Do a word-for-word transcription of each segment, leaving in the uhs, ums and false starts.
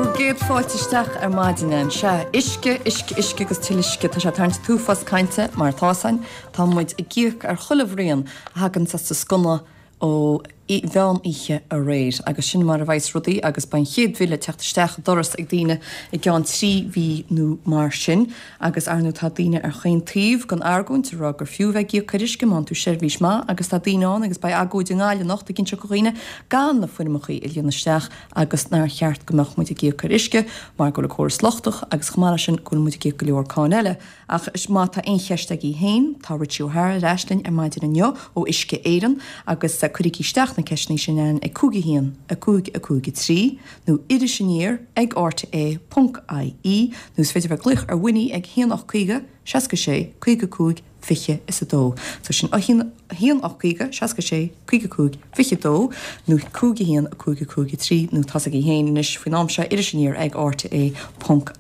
Bhur gcéad fáilte isteach ar maidin ann. Sea, uisce, uisce, uisce agus tuilleadh uisce. Tá sé ag tarraingt an t-uafás cainte mar atá san. Tá muid ag íoc ar chuile bhraon a thagann as an sconna ó mheán oíche aréir. Agus sin mar a bheas rudaí agus beidh an chéad bhille ag teacht isteach an doras ag daoine i gceann trí mhí nó mar sin. Agus ar ndóigh tá daoine ar chaon taobh den argóint ag rá gur fiú bheith ag íoc ar uisce má fhaigheann tú seirbhís maith agus tá daoine ann agus beidh agóid i nGaillimh anocht ag inseacht do dhaoine gan na foirmeachaí a líonadh isteach agus nár cheart go mbeadh muid ag íoc ar uisce mar go bhfuil an córas lochtach agus chomh maith leis sin go bhfuil muid ag íoc go leor cáin eile. Ach má tá aon cheist agaibh féin, tá Richie O'Hara ar ais linn ar maidin inniu ó Uisce Éireann agus cuirigí isteach na ceisteanna sin ann ag cúig a haon a cúig a cúig a trí nó iris aniar ag rte ponc ie nó is féidir bheith glaoch ar Winnie ag haon ocht caoga seasca sé caoga cúig fiche is a dó. So sin a haon haon ocht caoga seasca sé caoga cúig fiche dó nó cúig a haon a cúig a cúig a trí nó tá agaibh féin anois faoin am seo iris aniar ag rte ponc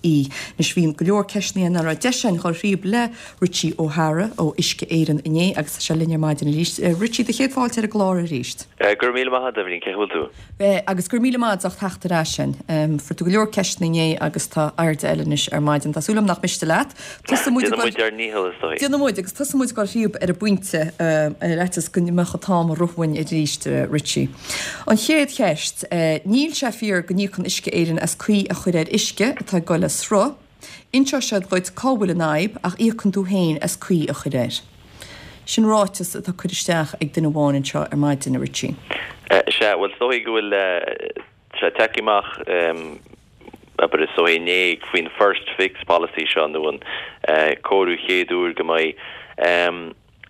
ie. Anois bhí go leor ceisteanna nach raibh deis againn dul thríob le Richie O'Hara ó Uisce Éireann inné agus tá sé linn ar maidin arís. Richie do chéad fáilte ar an gclár arís. Go raibh míle maith agat Eibhlín cén chaoi a bhfuil tú. Bheith agus gur míle maith as teacht ar ais sin. Um, Fuair tú go leor ceisteanna inné agus tá airde eile anois ar maidin. Tá súil agam nach miste leat. Tosóidh muid Déanfaidh muid ár ndícheall is dóigh. Déanfaidh muid agus tosóidh muid ag dul thríob ar an bpointe ar fhaitíos go mbeadh an t-am ag rith uainn arís Richie. An chéad cheist, níl sé fíor go n-íocann Uisce Éireann as caoi a chur ar uisce atá ag dul le sruth, Inseoidh siad duit cá bhfuil an fhadhb ach íocann tú féin as caoi a chur air. Sin ráiteas atá curtha isteach ag duine amháin anseo ar maidin a Richie. Sea, bhuel is dóigh go bhfuil sé tagtha amach abair is dóigh inné faoin first fix policy seo nó an cóiriú chéad uair go mbeidh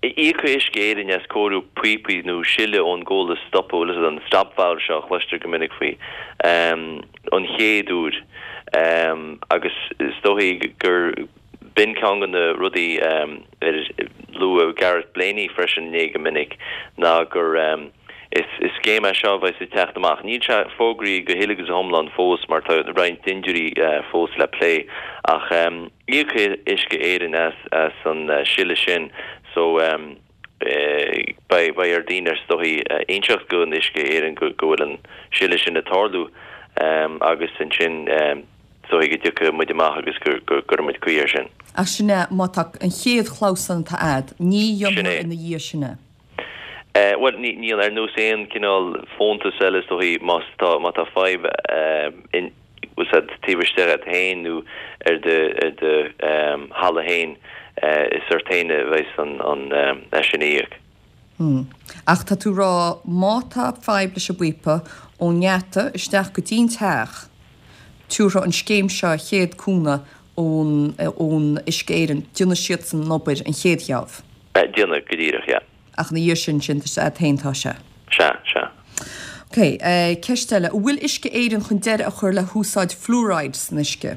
íocfaidh Uisce Éireann as cóiriú píopaí nó sileadh ón gcomhla stopadh an stop valve seo a chloistear go minic faoi an chéad uair agus is dóigh gur b'in ceann de na rudaí ar luaigh Gareth Blaney freisin inné go minic ná gur is is scéim é seo bheidh ag teacht amach. Níl sé fógraithe go huile agus go hiomlán fós mar tá roinnt dintiúirí fós le plé ach íocfaidh Uisce Éireann as as an sileadh sin so beidh beidh ar daoine is dóigh inseacht go an Uisce Éireann go go bhfuil an sileadh sin ag tarlú agus ansin is dóigh go dtiocfaidh muid amach agus go go gcuirfidh muid caoi air sin. Ach sin é má tá an chéad chlabhsán atá a'd, ní dhéanfar ina dhiaidh sin é. Bhuel ní níl ar nós aon cineál fóntas eile is dóigh má tá má tá fadhb in bhfuil taobh istigh agat féin nó ar do ar do thalamh féin is ort féin a bheas an an é sin a íoc. Hmm. Ach tá tú rá má tá fadhb leis an bpíopa ón ngeata isteach go dtí'n teach, tiúrtha an scéim seo chéad cúnamh ón ón Uisce Éireann, déanfaidh siad san obair an chéad gheábh. Déanfaidh go díreach, yeah. Ach ina dhiaidh sin sin tá féin tá sé. Sea, sea. Ok, ceist eile, an bhfuil Uisce Éireann chun deireadh a chur le húsáid fluoride san uisce?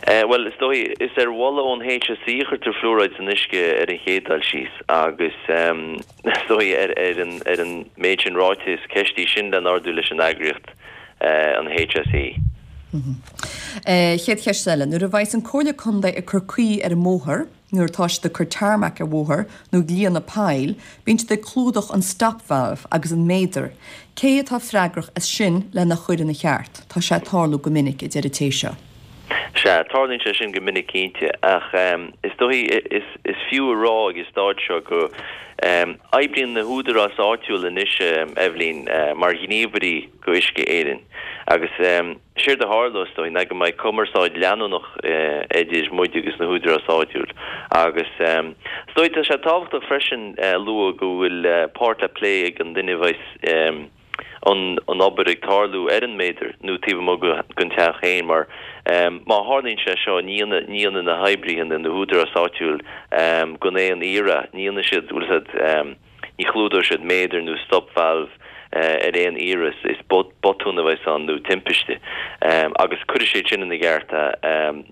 Bhuel, is dóigh, is ar mholadh ón HSE a chuirtear fluoride san uisce ar an chéad dul síos agus is dóigh ar ar an ar an méid sin ráite is ceist í sin le n-ardú leis an eagraíocht an HSE. Chéad cheist eile, nuair a bheas an Comhairle Contae ag cur caoi ar an mbóthar, nuair atá siad ag cur tarmac ar bhóthar nó ag líonadh poill, bíonn siad ag clúdach an stop valve agus an méadar. Cé atá freagrach as sin lena chur ina cheart? Tá sé ag tarlú go minic a deir an té seo. Sea, tarlaíonn sé sin go minic cinnte ach is dóigh is is fiú a rá ag an staid seo go oibríonn na húdaráis áitiúil anois Eibhlín mar ghníomhairí go Uisce Éireann agus séard a tharlós is dóigh ná go mbeidh cumarsáid leanúnach idir muid agus na húdaráis áitiúil agus is dóigh tá sé tábhachtach freisin lua go bhfuil páirt le plé ag an duine a bheas an an obair ag tarlú ar an méadar nó taobh amuigh den teach féin mar má tharlaíonn sé seo ní dhéanfaidh na hoibrithe nó na húdaráis áitiúil gan aon iarraidh, ní dhéanfaidh siad bhfuil siad ní chlúdóidh siad méadar nó stop valve ar aon iarraidh, is botún a bheas ann nó timpiste agus cuirfidh siad sin ina gceart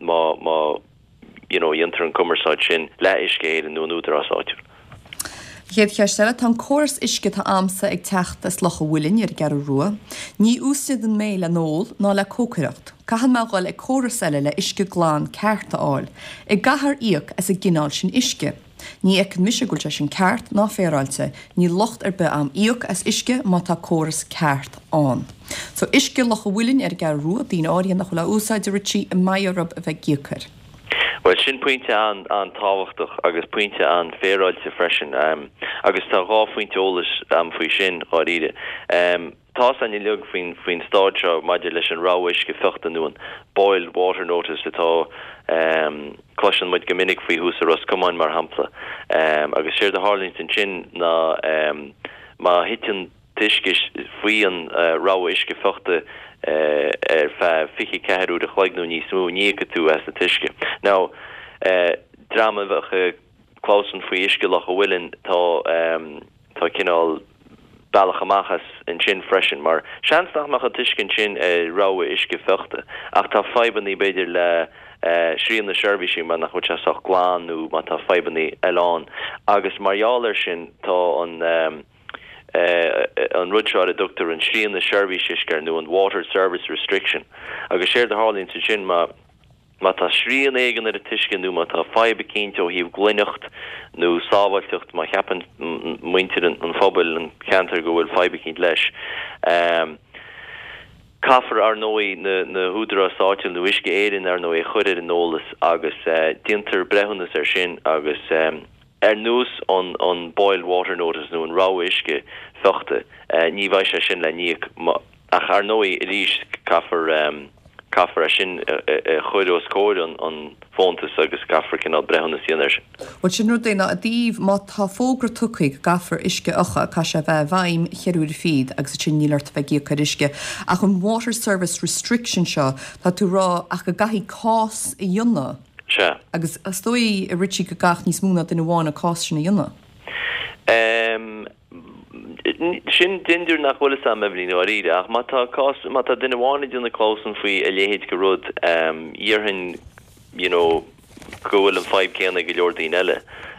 má má you know dhéantar an cumarsáid sin le Uisce Éireann nó an údarás áitiúil. Chéad cheist eile, tá an córas uisce atá a'msa ag teacht as Loch an Mhuilinn ar an gCeathrú Rua. Ní úsáideann mé le n-ól ná le cócaireacht. Caithfidh mé dhul ag córas eile le uisce glan ceart a fháil. An gcaithfear íoc as an gcineál sin uisce. Ní fheiceann mise go bhfuil sé sin ceart ná féaráilte, níl locht ar bith a'm íoc as uisce má tá córas ceart ann. So uisce Loch a' Mhuilinn ar an gCeathrú Rua, daoine áirithe nach bhfuil á úsáid, a Richie, an mbeidh orthu a bheith ag íoc air. Bhuel, sin pointe an-tábhachtach agus pointe an-fhéaráilte freisin. Agus tá dhá phointe eolais a'm faoi sin, dháiríre. Tá 's a'inn uilig faoin faoin staid seo maidir leis an rabhadh uisce fiuchta nó an boiled water notice atá, cloiseann muid go minic faoi thuas i Ros Comáin mar shampla. Agus séard a tharlaíonns ansin ná má thiteann t-uisce faoi an rabhadh uisce fiuchta ar feadh fiche ceathair uair a chloig nó níos mó, ní íocfaidh tú as an t-uisce. Now, dream a bheadh ag clamhsán faoi uisce Loch a' Mhuilinn, tá, tá cineál bealach amach as ansin freisin, mar seans nach mbeadh an t-uisce ansin ar rabhadh uisce fiuchta, ach tá fadhbannaí b'fhéidir le srian na seirbhísí mar nach bhfuil sé sách glan nó má tá fadhbannaí eile ann. Agus mar gheall air sin tá an an rud seo ar a dtugtar an srian na seirbhíse uisce nó an water service restriction. Agus séard a tharlaíonn ansin má má tá srian éigin ar an t-uisce nó má tá fadhb eicínt ó thaobh glaineacht nó sábháilteacht, má cheapann muintir an phobail, an cheantair go bhfuil fadhb eicínt leis, caithfear, ar ndóigh, na na húdaráis áitiúil nó Uisce Éireann, ar ndóigh, a chur ar an eolas agus déantar breithiúnas air sin agus ar nós an an boiled water notice nó an rabhadh uisce fiuchta, ní bheidh sé sin le n-íoc. Ach ar ndóigh, arís, caithfear caithfear é sin a chur os comhair an an fóntas agus caithfear cineál breithiúnas a dhéanamh air sin. Bhuel, sin rud é ná i dtaobh má tá fógra tugtha go gcaithfear uisce a fhiuchadh, caithfidh sé a bheith i bhfeidhm cheithre huaire fichead agus ansin níl ort a bheith ag íoc ar uisce. Ach an water service restriction seo, tá tú ag rá ach go gcaithfidh cás a dhéanamh. Sea. Agus is dóigh, a Richie, go gcaithfeadh níos mó ná duine amháin an cás sin a dhéanamh. Em, sin dindiúir nach bhfuil fhios a'm, Eibhlín, i ndáiríre, ach má tá cás, má tá duine amháin ag déanamh clamhsán faoi a leithéid de rud, em, dhéarfainn, you know, go bhfuil an fadhb céanna ag go leor daoine eile.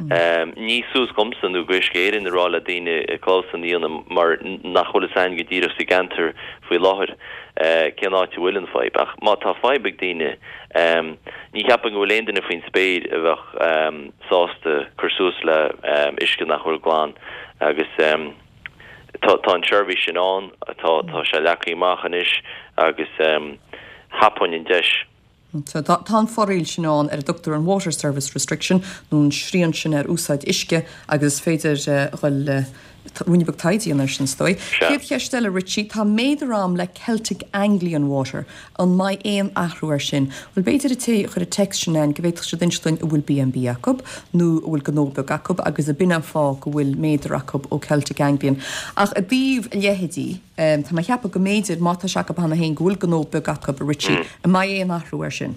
Em, ní suas dhomsa nó go Uisce Éireann a rá le daoine clamhsán a dhéanamh mar nach bhfuil fhios a'inn go díreach sa gceantar faoi láthair, eh, cén áit a bhfuil an fadhb. Ach má tá fadhb ag daoine, em, ní cheapaim go bhfuil aon duine faoin spéir a bheadh, em, sásta cur suas le, em, uisce nach bhfuil glan agus, em, tá, tá an tseirbhís sin ann, tá, tá sé leagtha amach anois agus, em, thapóinn an deis. So tá, tá an foráil sin ann ar a dtugtar an Water Service Restriction nó an srian sin ar úsáid uisce agus is féidir dhul ruainne beag taighde a dhéanamh air sin is dóigh. Sea. Céad cheist eile Richie, tá méadar a'm le Celtic Anglian Water, an mbeidh aon athrú air sin? Bhuel b'fhéidir an té a chuir an text sin ann go bhféadfadh siad inse dúinn an bhfuil B and B acu nó an bhfuil gnó beag acu agus ab in an fáth go bhfuil méadar acu ó Celtic Anglian. Ach i dtaobh a leithéidí, tá mé ag ceapadh go mb'fhéidir, má tá sé acu cheana féin, go bhfuil gnó beag acu, a Richie, an mbeidh aon athrú air sin?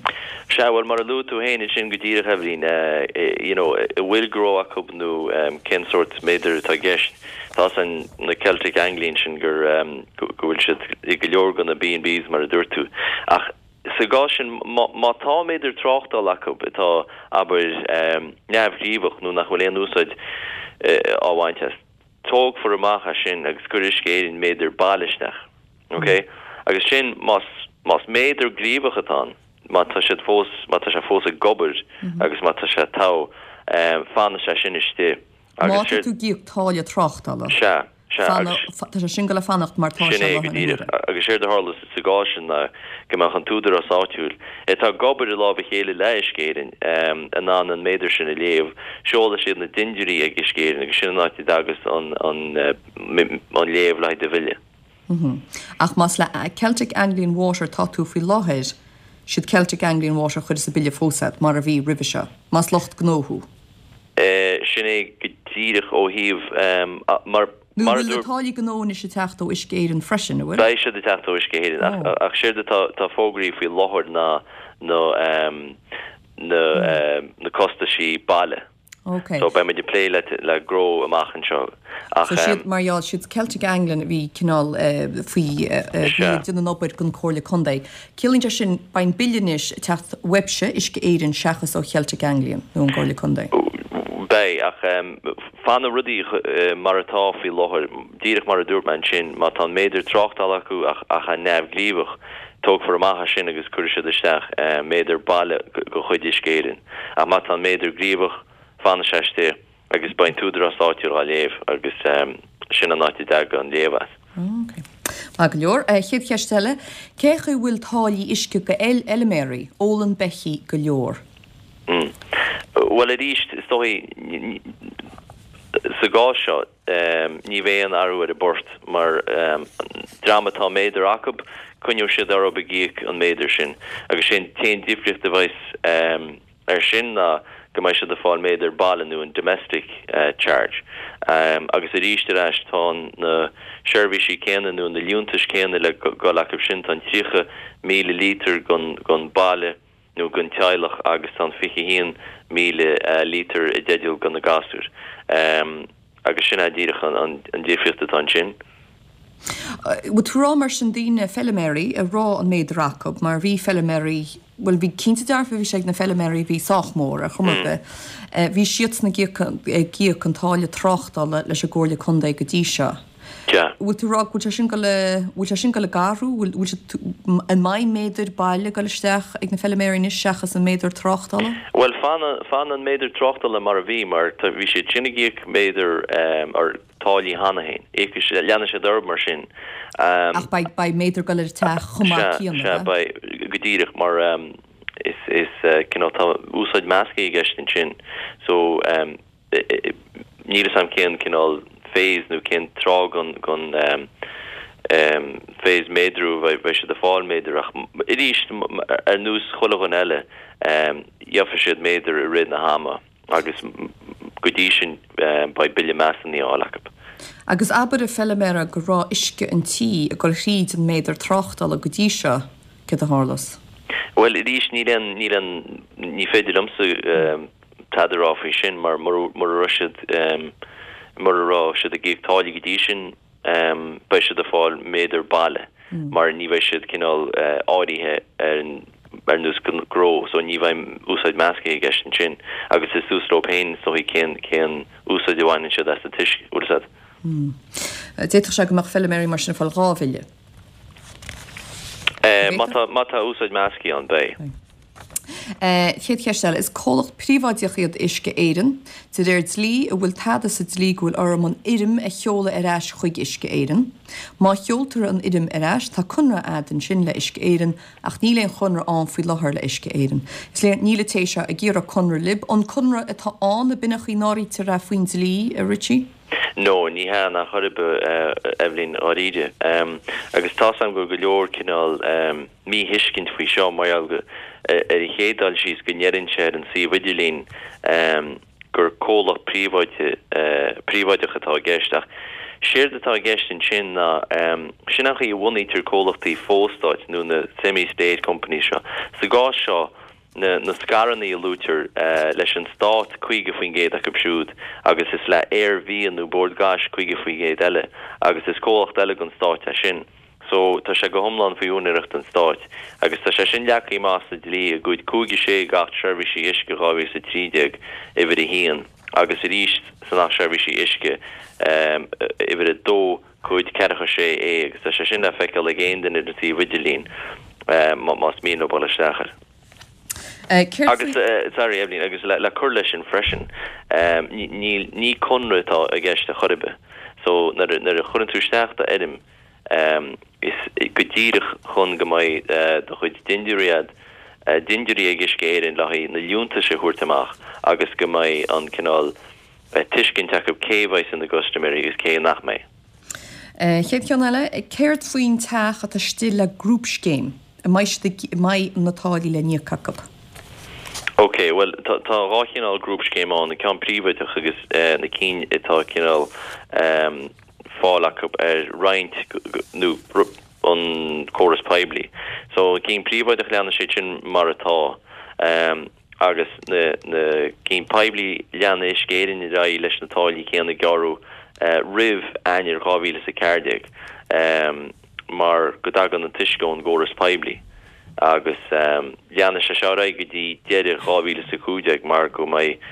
Sea, bhuel, mar a luaigh tú féin ansin go díreach, Eibhlín, you know, an bhfuil gnó acu nó cén sórt méadair atá i gceist, tá 's a'inn na Celtic Anglian sin gur, go bhfuil siad i go leor de na B and Bs mar a dúirt tú. Ach sa gcás sin, má, má tá méadar tráchtála acu atá, abair, neamhghníomhach nó nach bhfuil aon úsáid á bhaint as, tógfar amach as sin agus cuirfidh Uisce Éireann méadar baile isteach. Ok? Agus sin, más, más méadar gníomhach atá ann, má tá siad fós, má tá sé fós ag obair agus má tá sé togha, fanfaidh sé sin istigh. Má Agus tá séard. tú ag íoc táille tráchtála. Sea, sea, Fanadh, agus. tá sé sin ag gabháil a fanacht mar tá Sin sé é i go láthair na díreach. huaire. Agus séard a tharla sa gcás sin ná go mbeadh an t-údarás áitiúil, atá ag obair i lámh a chéile le Uisce Éireann, in ann an méadar sin a léamh. Seolfaidh siad na dindiúirí ag Uisce Éireann agus sin an áit a dtagas an, an, an léamh le haghaidh do bhille. Ach más le Celtic Anglian Water atá tú faoi láthair, siad Celtic Anglian Water a chuirfeas an bille fós ort, mar a bhí roimhe seo, más lucht gnó thú. Sin é go díreach ó thaobh, mar, Nó mar a bhfuil na dúirt. táillí gnó anois ag teacht ó Uisce Éireann freisin, an bhfuil? Beidh siad ag teacht ó Uisce Éireann, ach, ach séard atá, tá fógraí faoi láthair ná na, na, na costaisí baile. Ok. So beidh muid ag plé le, le gnó amach anseo. Ach, So siad, mar gheall, siad Celtic Anglian a bhí cineál faoi, bhí ag déanamh an obair don Comhairle Contae. Ciallaíonn sé sin, beidh an bille anois ag teacht uaibhse, Uisce Éireann, seachas ó Celtic Anglian nó an gComhairle Contae. Beidh, ach fanfaidh rudaí mar atá faoi láthair, díreach mar a dúirt mé ansin, má tá an méadar tráchtála acu ach ach é neamhghníomhach, tógfar amach as sin agus cuirfidh siad isteach méadar baile de chuid Uisce Éireann. Ach má tá an méadar gníomhach, fanfaidh sé istigh agus beidh an t-údarás áitiúil á léamh agus sin an áit a dtagann an léamh as. Ok. Maith go leor. Chéad cheist eile, cé chaoi bhfuil táillí uisce go fheilméaraí? Ólann Becky go leor. Mm. Bhuel arís, is dóigh sa gcás seo ní bheidh aon athrú ar an bport mar dream atá méadar acu, coinneoidh siad orthu ag íoc an méadar sin agus sé an t-aon difríocht a bheas air sin ná go mbeidh siad ag fáil méadar baile nó an domestic charge. Agus arís ar ais tá na seirbhísí céanna nó na liúntais céanna le dhul acu sin, tá an tríocha míle lítear don baile nó don teaghlach agus tá an fiche haon míle lítear i dteideal do na gasúir. Agus sin é díreach an difríocht atá ansin. Bhfuil tú rá mar sin daoine feiliméaraí a raibh an méadar acu mar bhí feiliméaraí, bhuel bhí cinnte dearfa bhí sé ag na feiliméaraí bhí sách mór ar chuma ar bith, bhí siadsan ag íoc ag íoc an táille tráchtála leis an gComhairle Contae go dtí seo. Bhfuil tú rá go bhfuil sé sin go le, bhfuil sé sin go le athrú, bhfuil, bhfuil sé, an mbeidh méadar baile ag dul isteach ag na feiliméaraí anois seachas an méadar tráchtála? Bhuel fanann, fanann an méadar tráchtála mar a bhí mar tá, bhí siad sin ag íoc méadar or táillí cheana féin. Íocfaidh siad, leanfaidh siad orthu mar sin. Ach beidh, beidh méadar ag dul ar an teach chomh maith Sea, céanna, sea, ab ea? beidh, go díreach mar is, is cineál tá úsáid measctha i gceist ansin so níl 'fhios a'm cén cineál phase nó cén tráth gon, gon phase méadrú a bheidh siad ag fáil méadar ach arís ar nós chuile dhuine eile gheobhaidh siad méadar i rith na hama agus go dtí sin beidh bille measúnaithe á fháil acu. Agus abair a feiliméara go raibh uisce an tí ag dul thríd an méadar tráchtála go dtí seo, céard a tharlós? Bhuel arís níl aon, níl aon, ní féidir liomsa tada a rá faoi sin mar mura raibh siad, mura raibh siad ag íoc táillí go dtí sin beidh siad ag fáil méadar baile mar ní bheidh siad cineál áirithe ar an ar nós gnó so ní bheidh úsáid measctha i gceist ansin agus is suas leo féin is dóigh cén cén úsáid a bhaineann siad as an t-uisce, bhfuil 'fhios a'd. D'fhéadfadh sé go mbeadh feiliméaraí mar sin ag fáil dhá bhille. Má tá má tá úsáid measctha ann beidh. Chéad cheist eile, is comhlacht príobháideach iad Uisce Éireann. De réir dlí, an bhfuil tada sa dlí go bhfuil orm an fhoirm a sheoladh ar ais chuig Uisce Éireann? Má sheoltar an fhoirm ar ais, tá conradh a'd ansin le Uisce Éireann, ach níl aon chonradh ann faoi láthair le Uisce Éireann. Is léir, níl an té seo ag iarraidh conradh libh. An conradh atá ann, ab in an chaoi n-áirítear é faoin dlí, a Richie? No, ní hea in aon chor ar bith, a Eibhlín, dháiríre. Agus tá's a'm go bhfuil go leor cineál míthuiscint faoi seo mar gheall go, ar an chéad dul síos, go ndeireann sé ar an suíomh idirlín gur comhlacht príobháide, príobháideach atá i gceist. Ach séard atá i gceist ansin ná, sin an chaoi a bhunaítear comhlachtaí fo-stáit nó na semi-state companies seo. Sa gcás seo, na na scaireanna a luaitear leis an stát caoga faoin gcéad acu siúd agus is le hAerVia nó Bord Gáis caoga faoin gcéad eile agus is comhlacht eile den stát é sin. So tá sé go hiomlán faoi úinéireacht an stáit agus tá sé sin leagtha amach sa dlí i gCuid cúig a sé d'Acht Seirbhísí Uisce dhá mhíle is a trí déag, uimhir a haon, agus arís san Acht Seirbhísí Uisce, uimhir a dó, Cuid ceathracha sé A agus tá sé sin le feiceáil ag aon duine ar an suíomh idirlín más mian leo dul isteach air. Céard Agus, faoi. sorry Eibhlín, agus le cur leis sin freisin, níl, ní conradh atá i gceist ar chor ar bith. So nuair a, nuair a chuireann tú isteach d'fhoirm, is go díreach chun go mbeidh do chuid dintiúirí a'd, dintiúirí ag Uisce Éireann le haghaidh na liúntais a thabhairt amach agus go mbeidh an cineál tuiscint acu cé a bheidh ina gcustaiméirí agus cé nach mbeidh. Chéad cheann eile, céard faoin teach atá istigh le grúpscéim? An mbeidh siad ag, an mbeidh na táillí le n-íoc acu? Ok, bhuel tá tá dhá chineál grúpscéim ann, an ceann príobháideach agus na cinn atá cineál fáil acu ar roinnt nó an córas poiblí. So an cinn príobháideach leanann siad sin mar atá. Agus na na cinn poiblí leanfaidh Uisce Éireann ar aghaidh leis na táillí céanna a gearradh roimh Eanáir dhá mhíle is a ceathair déag mar go dtagann an t-uisce ón gcóras poiblí agus leanfaidh sé seo ar aghaidh go dtí deireadh dhá mhíle is a cúig déag mar go mbeidh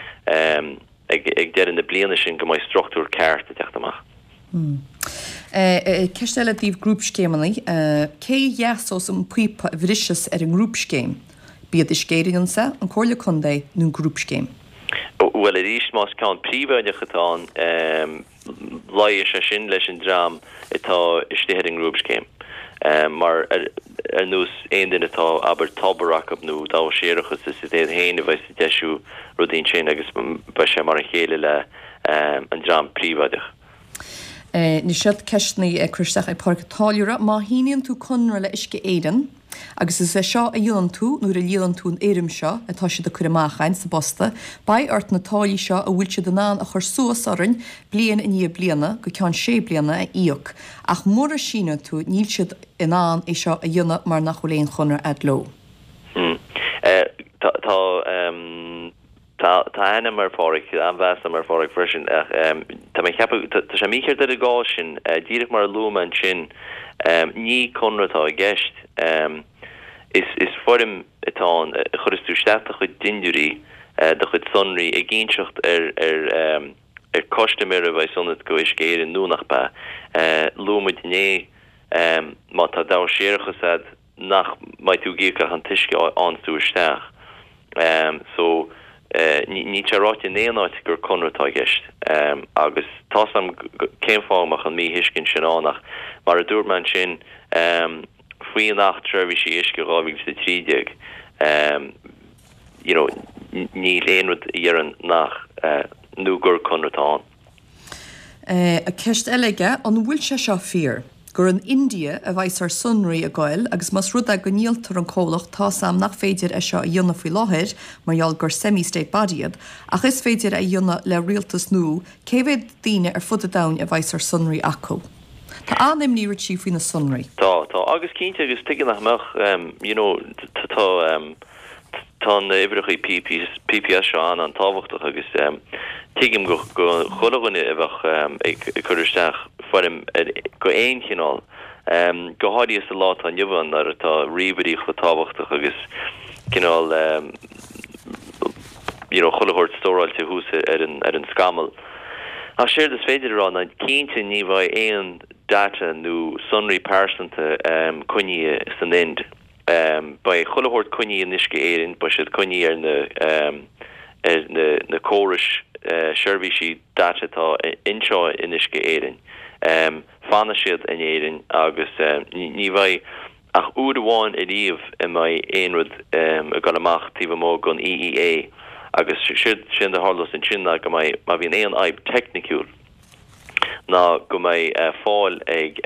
ag deireadh na bliana sin go mbeidh struchtúr ceart ag teacht amach. Ceist eile i dtaobh grúpscéimeanna. Cé a dheasós an píopa a bhriseas ar an ngrúpscéim? B'iad Uisce Éireann ansa, an Comhairle Contae nó an grúpscéim? Bhuel arís más ceann príobháideach atá ann luífidh sé sin leis an dream atá istigh ar an ngrúpscéim. Mar ar nós aon duine atá abair tobar acu nó dabhach séarachais is iad féin a bheas ag deisiú rudaí ansin agus beidh sé mar a chéile le an dream príobháideach. Anois seo ceisteanna ag cur isteach ag Pádraig an Táilliúra, má shíníonn tú conradh le Uisce Éireann, agus is é seo a dhéanann tú nuair a líonann tú an fhoirm seo atá siad ag cur amach againn sa bposta, beidh ort na táillí seo a bhfuil siad in ann a chur suas orainn bliain i ndiaidh bliana go ceann sé bliana a íoc, ach mura síneann tú níl siad in ann é seo a dhéanamh mar nach bhfuil aon chonradh agat leo. Hmm. Tá tá Tá ainm ar Phádraig an-mheas agam ar Phádraig freisin ach tá mé ag ceapadh tá sé mícheart ar an gcás sin díreach mar a luaigh mé ansin ní conradh atá i gceist is is foirm atá ann a chuireas tú isteach do chuid dintiúirí do chuid sonraí ag inseacht ar ar ar custaiméir a bheas ionat go Uisce Éireann nó nach bea. Luaigh muid inné má tá dabhach séarachais agat nach mbeidh tú ag íoc ach an t-uisce a fhaigheann tú isteach. So níl sé ráite in aon áit gur conradh atá i gceist agus tá a fhios agam cén fáth a mbeadh an míthuiscint sin ann ach mar a dúirt mé ansin faoin Acht Seirbhísí Uisce dhá mhíle is a trí déag you know níl aon rud a dheireann nach nó gur conradh atá ann. Ceist eile aige, an bhfuil sé seo fíor? Gur an India a bheas ár sonraí ag goil agus más rud é go ndíoltar an comhlacht tá 's a'm nach féidir é seo a dhéanamh faoi láthair mar gheall gur semi-state body iad, ach is féidir é a dhéanamh le rialtas nua, cé mhéad daoine ar fud an domhain a bheas ár sonraí acu? Tá an-imní Richie faoi na sonraí. Tá, tá, agus cinnte agus tuige nach mbeadh, you know, tá tá na uimhreacha PPS seo an an-tábhachtach agus tuigim go chuile dhuine a bheadh ag cur isteach foirm go aon chineál, go háirithe sa lá atá inniu ann nuair atá ríomhairí chomh tábhachtach agus cineál you know chuile shórt stóráilte thuas ar an ar an scamall. Ach séard is féidir a rá ná cinnte ní bheidh aon data nó sonraí pearsanta coinnithe san Ind. Beidh chuile shórt coinnithe in Uisce Éireann, beidh siad coinnithe ar na ar na na córais seirbhísí data atá anseo in Uisce Éireann. Fanfaidh siad in Éirinn agus ní bheidh ach uair amháin ariamh a mbeidh aon rud ag dul amach taobh amuigh den EEA agus sin a tharlós ansin ná go mbeidh má bhíonn aon fhadhb teicniciúil ná go mbeidh fáil ag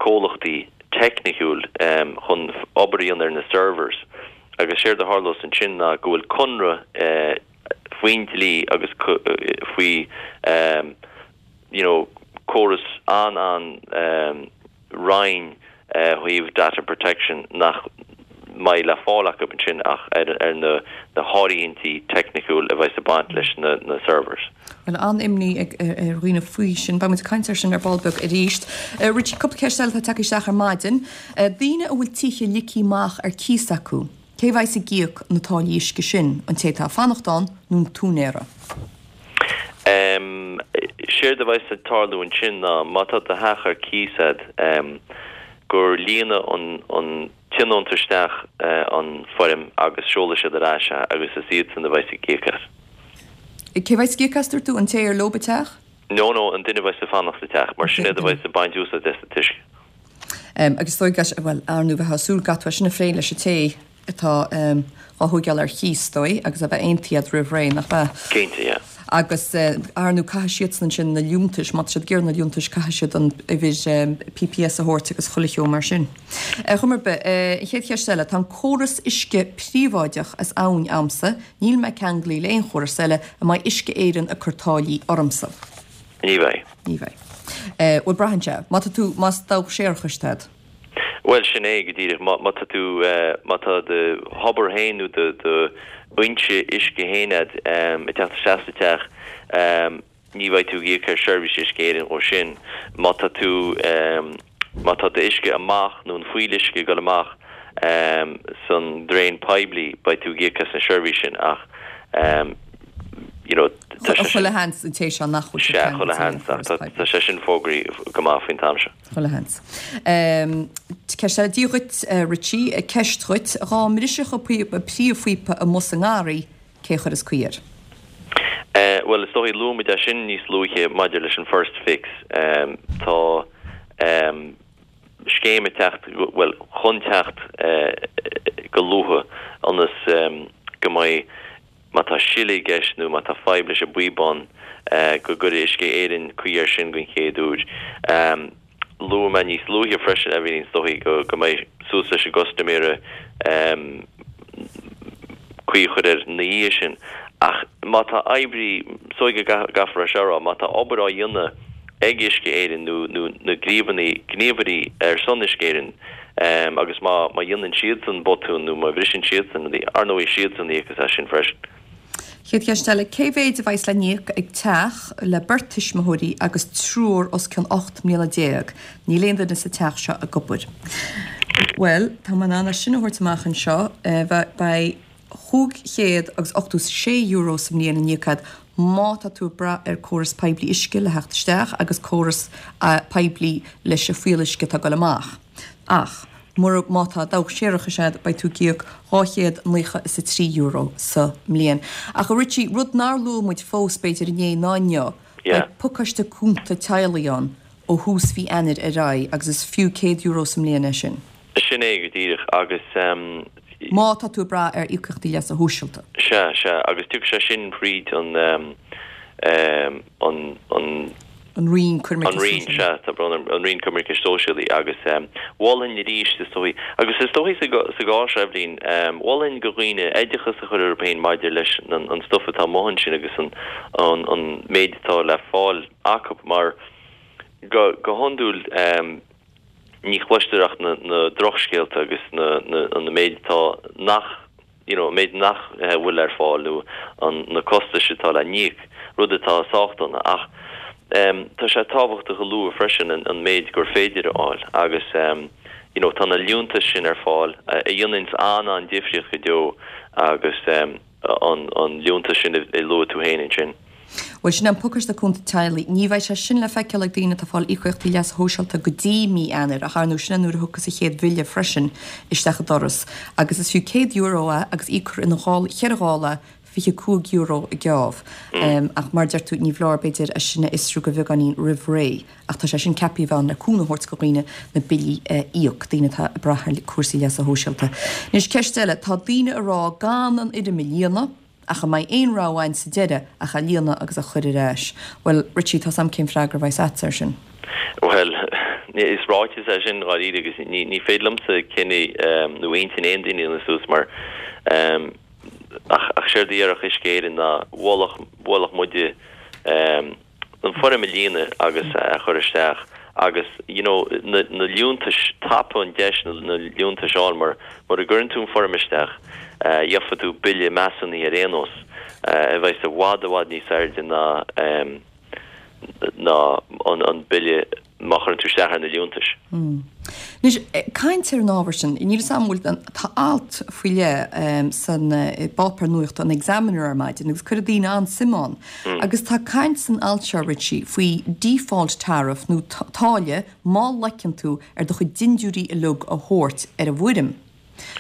comhlachtaí teicniciúil chun obair a dhéanamh ar na servers agus séard a tharlós ansin ná go bhfuil conradh faoin dlí agus faoi you know córas an-an righin ó thaobh data protection nach mbeidh le fáil acu ansin ach ar ar na na háirithintí teicniciúil a bheidh ag baint leis na na servers. Bhuel an-imní ag ar dhaoine faoi sin, beidh muid ag caint air sin ar ball beag arís. Richie, cúpla ceist eile atá tagtha isteach ar maidin. Daoine a bhfuil tithe ligthe amach ar cíos acu, cé bheas ag íoc na táillí uisce sin, an té atá ag fanacht ann nó an t-úinéara? Um, séard a bheas ag tarlú ansin ná má tá do theach ar cíos agat um, gur líonfaidh an, an tionónta isteach uh, an foirm agus seolfaidh siad ar ais é agus is iadsan a bheas ag íoc as. Cé bheas ag íoc as dúirt tú an té ar leo an teach? No no an duine bheas ag fanacht sa teach mar sin iad a bheas ag baint úsáid as an t-uisce. Um, agus dóigh well ar ndóigh bheith súil gat sin a phlé leis an té atá um, á thógáil ar cíos dóigh agus a bheith aontaithe roimh ré nach bheith. Cinnte, yeah. Agus uh, ar ndóigh caithfidh siadsan sin na liúntais, má siad géar na liúntais caithfidh siad an uimhir um, PPS a thabhairt agus chuile cheo mar sin. Uh, Chumar be, uh, chéad cheist eile, tá an córas uisce príobháideach as abhainn a'msa, níl mé ceangailte le aon chóras eile an mbeidh Uisce Éireann ag cur táillí ormsa. Ní bheidh. Ní bheidh. Uh, bhuel braitheann sé, má tá tú más dabhach séarachais agat. Well sin é go díreach má tá tú má tá do thobar féin nó do do fhoinse uisce féin ag teacht isteach sa teach ní bheidh tú ag íoc ar seirbhís Uisce Éireann ó sin. Má tá tú má tá d'uisce amach nó an fuíolluisce ag dul amach san draein poiblí beidh tú ag íoc as an seirbhís sin ach you know Chuile sheans an té seo nach bhfuil sé chuile sheans tá sé sin fógraithe go maith faoin t-am seo. Chuile sheans. Ceist eile Dia dhuit Richie, ceist dhuit dá mbrisfeadh príomhphíopa amuigh sa ngarraí cé chuirfeas caoi air. Bhuel, is dóigh luaigh muid é sin níos luaithe maidir leis an First Fix. Tá scéim ag teacht, bhuel, chun teacht go luath ionas go mbeidh, má tá sileadh i gceist nó má tá fadhb leis an bpíobán, go gcuirfidh Uisce Éireann caoi air sin den chéad uair. Luaigh mé níos luaithe freisin, Eibhlín, is dóigh go go mbeidh suas leis an gcustaiméara caoi a chur air ina dhiaidh sin. Ach má tá oibrí, is dóigh go gcaithfear é seo a rá, má tá obair á dhéanamh ag Uisce Éireann nó nó na gníomhairí gníomhairí ar son Uisce Éireann agus má má dhéanann siadsan botún nó má bhriseann siadsan rudaí, ar ndóigh siadsan a íocfas as sin freisin. Chéad cheist eile, cé mhéid a bheas le n-íoc ag teach le beirt tuismitheoirí agus triúr os cionn ocht mbliana déag? Níl aon duine sa teach seo ag obair. Bhuel, tá mé in ann é sin a thabhairt amach anseo, beidh chúig chéad agus ochtó sé euro sa mbliain le n-íoc agat má tá tú ag brath ar córas poiblí uisce le theacht isteach agus córas poiblí leis an fuíolluisce atá ag dul amach. Ach mura, má tá dabhach séarachais agat, beidh tú ag íoc dhá chéad naocha is a trí euro sa mbliain. Ach a Richie, rud nár luaigh muid fós, b'fhéidir inné ná inniu, beidh pacáiste cúnta teaghlaigh ann ó thús mhí Eanáir ar aghaidh agus is fiú céad euro sa mbliain é sin. Sin é go díreach agus. Má tá tú ag brath ar íocaíochtaí leasa shóisialta. Sea, sea, agus tiocfaidh sé sin thríd an, an, an. An Roinn Coimirce An Roinn, sea, tá brón orm, an Roinn Coimirce Sóisialaí agus mholfainn arís, is dóigh, agus is dóigh sa gcás seo, Eibhlín, mholfainn go dhaoine oideachas a chur orthu féin maidir leis an an stuif atá amuigh ansin agus an an an méid atá le fáil acu mar go go hiondúil ní chloistear ach na na drochscéalta agus na na an méid atá nach you know, an méid nach bhfuil ar fáil nó an na costais atá le n-íoc, rud atá sách dona. Ach tá sé tábhachtach a lua freisin an an méid gur féidir a fháil agus you know, tá na liúntais sin ar fáil a dhéananns an-an-difríocht go deo agus an an liúntas sin a luaigh tú féin ansin. Bhuel, sin an pacáiste cúnta teaghlaigh. Ní bheidh sé sin le feiceáil ag daoine atá ag fáil íocaíochtaí leasa shóisialta go dtí mí Eanáir, ach ar ndóigh sin an uair a thiocfas an chéad bhille freisin isteach an doras. Agus is fiú céad euro é agus íocfar ina dhá, cheithre ghála fiche cúig euro a geábh. Ach mar a deir tú, ní foláir b'fhéidir é sin a fhiosrú go bheagáinín roimh ré. Ach tá sé sin ceaptha a bheith ann le cúnamh a thabhairt go dhaoine na billí a íoc, daoine atá ag brath ar cúrsaí leasa shóisialta. Anois ceist eile, tá daoine ag rá gan an fhoirm a líonadh, ach an mbeidh aon rogha againn sa deireadh ach a líonadh agus a chur ar ais? Bhuel, Richie, tá's a'm cén freagra a bheas a'dsa air sin. Bhuel, is ráiteas é sin dháiríre agus ní ní féidir liomsa cinneadh nó intinn aon duine a dhéanamh suas mar ach ach séard a déarfadh Uisce Éireann ná mholfadh mholfadh muide an foirm a líonadh agus a chur isteach agus you know na na liúntais, tapaigh an deis na na liúntais a fháil mar mura gcuireann tú an foirm isteach gheobhaidh tú bille measúnaithe ar aon nós a bheas i bhfad i bhfad níos airde ná ná an an bille má chuireann tú isteach ar na liúntais. Anois, caint ar an ábhar sin, níl 'fhios a'm an bhfuil, tá alt faoi leith san bpáipéar nuachta, an Examiner ar maidin agus cuireann daoine an-suim ann. Agus tá caint san alt seo, Richie, faoi default tariff nó táille má loiceann tú ar do chuid dindiúirí uilig a thabhairt ar an bhfoirm.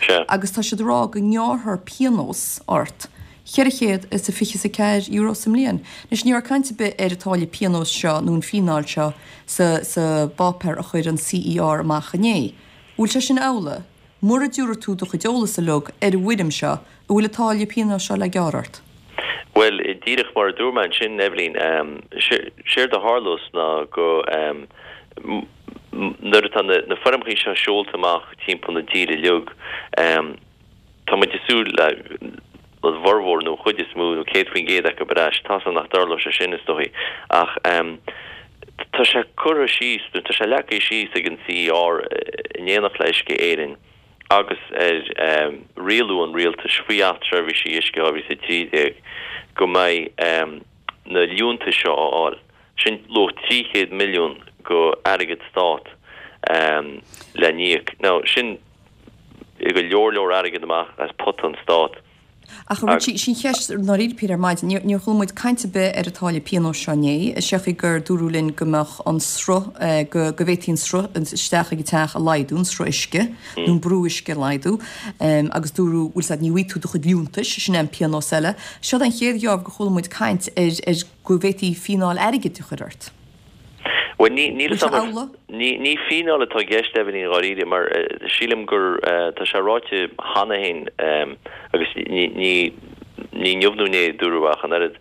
Sea. Agus tá siad ag rá go ngearrfar pionós ort cheithre chéad is a fiche is a ceathair euro sa mbliain. Anois, ní raibh caint ar bith ar an táille pionóis seo nó an fíneáil seo sa sa bpáipéar a chuir an CER amach inné. Bhfuil sé sin amhlaidh? Mura dtiúrfaidh tú do chuid eolas uilig ar an bhfoirm seo, an bhfuil an táille pionóis seo le gearradh ort? Bhuel, díreach mar a dúirt mé ansin, Eibhlín, séard a tharlós ná go nuair atá na foirmeacha seo seolta amach timpeall na tíre uilig, tá muid ag súil le an bhformhór nó an chuid is mó nó céad faoin gcéad acu ar ais. Tá's agam nach dtarlóidh sé sin, is dóigh, ach tá sé curtha síos, nó tá sé leagtha síos ag an CER in éineacht le Uisce Éireann agus ar rialú an Rialtais faoi Acht Seirbhísí Uisce dhá mhíle is a trí déag go mbeidh na liúntais seo á fháil. Sin luach trí chéad milliún go airgead stát le n-íoc. Now sin go leor leor airgead amach as pota an stát. Ach Richie, sin cheist ndáiríre píre ar maidin, níor chuala muid caint ar bith ar an táille pionóis seo inné, seachas gur dúradh linn go mbeadh an sruth, go bhféadfaí an sruth isteach ag an teach a laghdú, an sruth uisce, nó an brú uisce a laghdú, agus dúradh, bhfuil 's a'd, ní bhfaighidh tú do chuid liúntais, sin é an pionós eile. Seo an chéad gheábh gur chuala muid caint ar ar go bhféadfaí fíneáil airgid a chur ort. Bhuel, ní, níl 'fhios a'm, ní, ní fíneáil atá i gceist, Eibhlín, dháiríre, mar sílim gur, tá sé ráite cheana féin agus ní, ní, ní inniu nó inné a dúradh ach an oiread.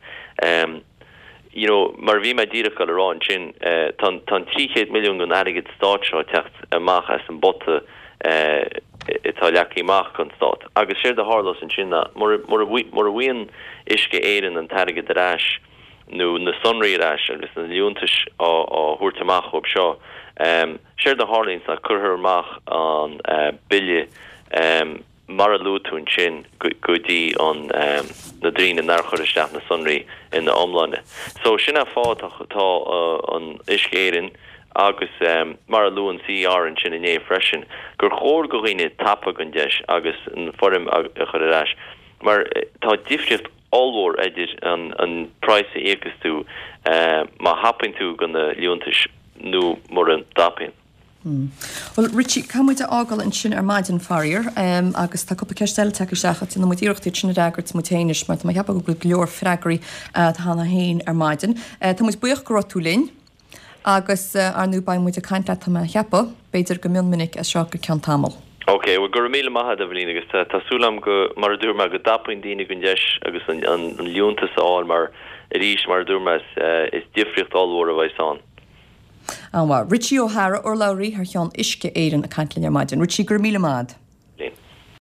You know, mar a bhí mé díreach ag dul a rá ansin, tá an, tá an trí chéad milliún den airgead stáit seo ag teacht amach as an bpota atá leagtha amach don stát. Agus séard a tharlós ansin ná, mura, mura, mura bhfaigheann Uisce Éireann an t-airgead ar ais, nó na sonraí ar ais agus na liúntais á thabhairt amach dhóibh seo. Séard a tharlaíonns ná cuirfear amach an bille mar a luaigh tú ansin go dtí an na daoine nár chuir isteach na sonraí ina iomláine. So sin an fáth tá an Uisce Éireann agus mar a luaigh an CER ansin inné freisin gur chóir go dhaoine tapadh an deis agus an foirm a chur ar ais mar tá difríocht ollmhór idir an praghas a íocas tú má thapaíonn tú go na liúntais nó mura dtapaíonn. Bhuel, Richie, caithfidh muid a fhágáil ansin ar maidin, faraor, agus tá cúpla ceist eile tagtha isteach ach déanfaidh muid iarracht iad sin a fhreagairt muid féin anois mar tá mé ag ceapadh go bhfuil go leor freagraí cheana féin ar maidin. Tá muid buíoch go raibh tú linn. Agus, ar ndóigh, beidh muid ag caint leat, tá mé a cheapadh, b'fhéidir go mion minic as seo go ceann tamaill. Ok, bhuel, go raibh míle maith agat, Eibhlín, agus tá súil agam go, mar a dúirt mé, go dtapaíonn daoine den deis agus an liúntas a fháil mar, arís, mar a dúirt mé, is difríocht ollmhór a bheas ann. An-mhaith. Richie O'Hara, urlabhraí thar cheann Uisce Éireann ag caint linn ar maidin. Richie, go raibh míle maith agat.